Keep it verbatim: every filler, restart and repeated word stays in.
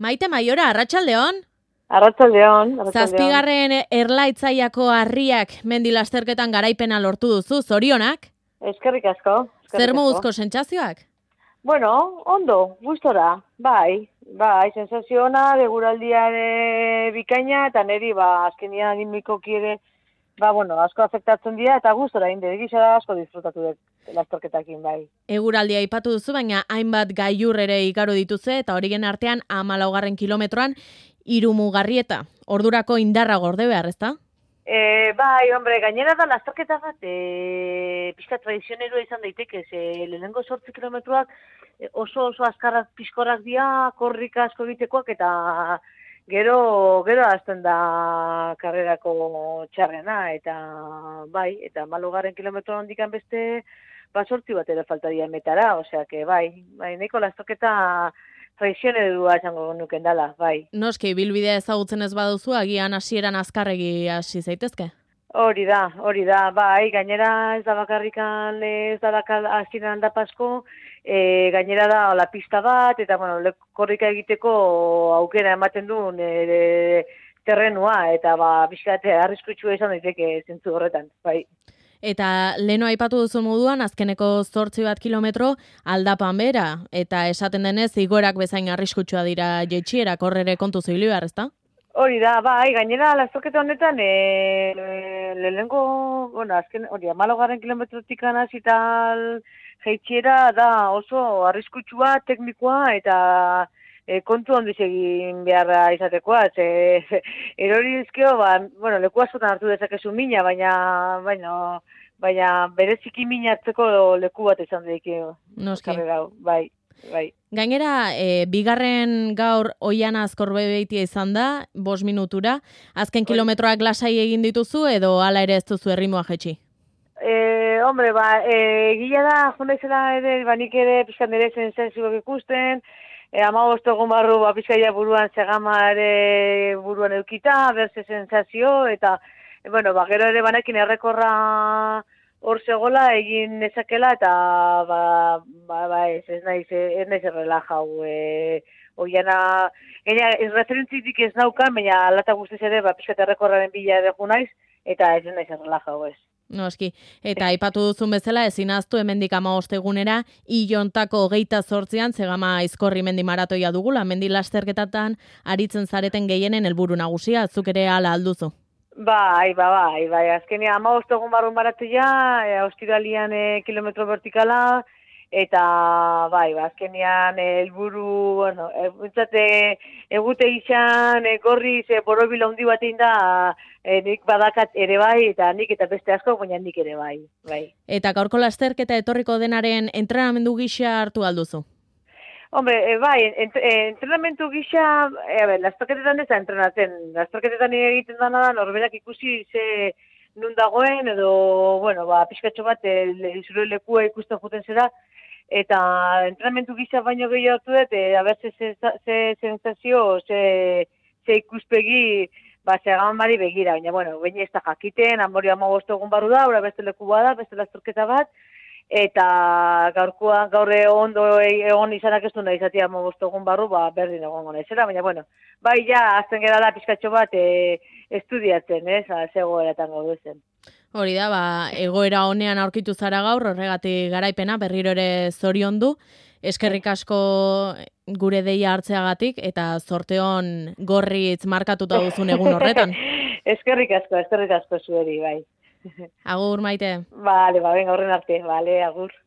Maite Maiora, arratsaldeon. Arratsaldeon. Zazpigarren erlaitzaiako harriak mendi lasterketan garaipena lortu duzu, zorionak? Eskerrik asko. Zer moduzko sentsazioak? Bueno, ondo, gustora, bai, bai, sensazio ona, beguraldiare bikaina, eta niri, ba, azkenian animikoki ere, ba, bueno, asko afektatzen dira, eta gustora inde, egisa asko disfrutatu dut lasterketakin, bai. Eguraldia aipatu duzu, baina hainbat gailur ere igaro dituze, eta horien artean hamalaugarren kilometroan hiru mugarrieta. Ordurako indarra gorde behar, ezta? E, bai, hombre, gainera da lasterketa bat, e, pixka tradizionerua izan daiteke, ze lehenengo sortzi kilometroak oso oso azkarrak pixkorrak dira, korrik asko egitekoak, eta gero, gero azten da karrerako txarrena, eta bai, eta hamalaugarren kilometro handikan beste, ba, sortzi bat ere faltaria metara, osea, que bai, bai, nahiko lasterketa tradizionerua esango nuken dala, bai. Noski, bilbidea ezagutzen ez baduzu, agian hasieran azkarregi hasi zaitezke? Hori da, hori da, bai, gainera ez da bakarrikan, ez da hasieran aldapasko, e, gainera da la pista bat, eta, bueno, korrika egiteko aukera ematen du e, terrenua, eta, ba, bizkate, arriskutsua izan daiteke zentzu horretan, bai. Eta leno aipatu duzu moduan, azkeneko zortzi bat kilometro aldapan bera, eta esaten denez, igorak bezain arriskutsua dira jeitxierak, horrere kontu zoili behar, ezta? Hori da, bai, gainera, lasterketa honetan, e, e, lehenengo, bueno, azken, hori, hamalaugarren kilometrotik hasi tal jeitxiera da oso arriskutsua, teknikoa, eta e, kontu handiz egin beharra izatekoa, ze, erori dizkio, ba, bueno, leku askotan hartu dezakezu mina, baina, baina, baina bereziki minatzeko leku bat izan daikio. Noski. Bai, bai. Gainera, e, bigarren gaur oiana azkorbebeitia izan da, bost minutura. Azken kilometroak lasai egin dituzu edo hala ere ez duzu erritmoa jetxi? E, hombre, ba, e, gila da, jonda izela ere, ba, nik ere pizkan ere sensazioak ikusten, e, amabost egun barru, ba, pizkaia buruan segama ere buruan eukita, berze sensazio, eta, e, bueno, ba, gero ere banekin errekorra hor zegoela egin nezakela, eta, ba, ba, ba ez, ez naiz, ez naiz errelajau, e, oiana, gaina, ez referentzitik ez naukan, baina alata guztiz ere, ba, pizkat errekorraren bila edo naiz, eta ez naiz errelajau, ez. Noski, eta aipatu duzun bezala ezin ahaztu hemendik hamabost egunera Ilontako hogeita zortzian zegama aizkorri mendi maratoia dugula, mendi lasterketatan aritzen zareten gehienen helburu nagusia, zuk ere hala alduzu. Bai, bai, bai, bai, azkenia hamabost egun barrun maratoia, e, ostiralian e, kilometro vertikala, eta bai, ba, azkenian helburu, bueno, bintzate egute izan, e, gorriz, e, borobila handi batein da, e, nik badakat ere bai, eta nik eta beste asko, baina nik ere bai, bai. Eta gaurko lasterketa etorriko denaren entrenamendu gisa hartu alduzu? Hombre, e, bai, ent, e, entrenamendu gisa, e, a ber, lasterketetan ez da entrenatzen, lasterketetan egiten dana da, norberak ikusi ze nun dagoen, edo, bueno, ba, pixkatxo bat, e, zure lekua ikusten juten zera, eta entrenamendu gisa baino gehiago hartu dut, e, a ber, ze, ze, ze sensazio, ze, ze ikuspegi, ba, segaman bari begira, baina, bueno, baina ez da jakiten, amori hamabost egun barru da, ora beste leku bada, beste lasterketa bat, eta gaurkoa, gaur ondo egon izanak ez du nahi izatea hamabost egun barru, ba, berdin egon gona izela, baina, bueno, bai, ja, azten gara da pizkatxo bat e, estudiatzen, ez, zegoeratan gaudu zen. Hori da, ba, egoera honean aurkitu zara gaur, horregatik garaipena, berriro ere zoriondu, eskerrik asko gure deia hartzeagatik, eta zorteon gorritz markatuta duzun egun horretan. Eskerrik asko, eskerrik asko zueri, bai. Agur, Maite. Vale, ba, venga, horren arte, vale, agur.